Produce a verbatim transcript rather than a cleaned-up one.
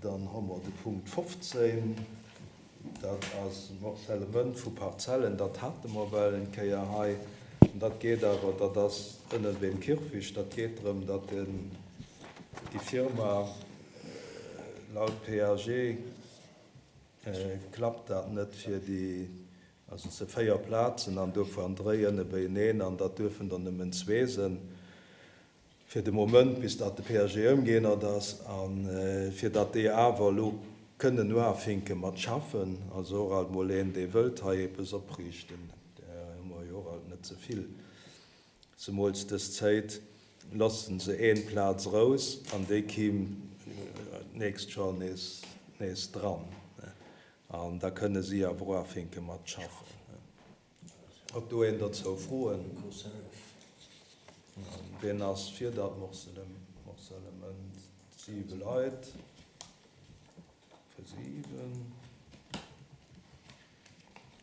Dann hu mer de Punkt fofzéin, dat ass Morcellement vu Parzellen. Dat hate mer well eng Kéier hei. An dat geet awer, dat ass ënnen beim Kierfecht, dat geet drëm, datt den, déi Firma laut P A G klappt dat net fir déi, also et si véier Plazen an dovun dréi ënne beieneen an dat duerfen der nëmmen zwee sinn fir de Moment, bis datt de P A G ëmgeännert ass, a fir datt déi awer elo kënnen uafinke mat schaffen, also och alt mol een, dee wëllt hei eppes opriichten, där hu mer jo och alt net ze vill, zemools dës Zäit, loosse se een Plaz erous an déi kimm d'nächst Joer nees nees dran an da kënne si awer uafinke mat schaffen. Huet do een dozou Froen? Wien ass fir dat Morcellement? Siwe Leit. Fir siwen.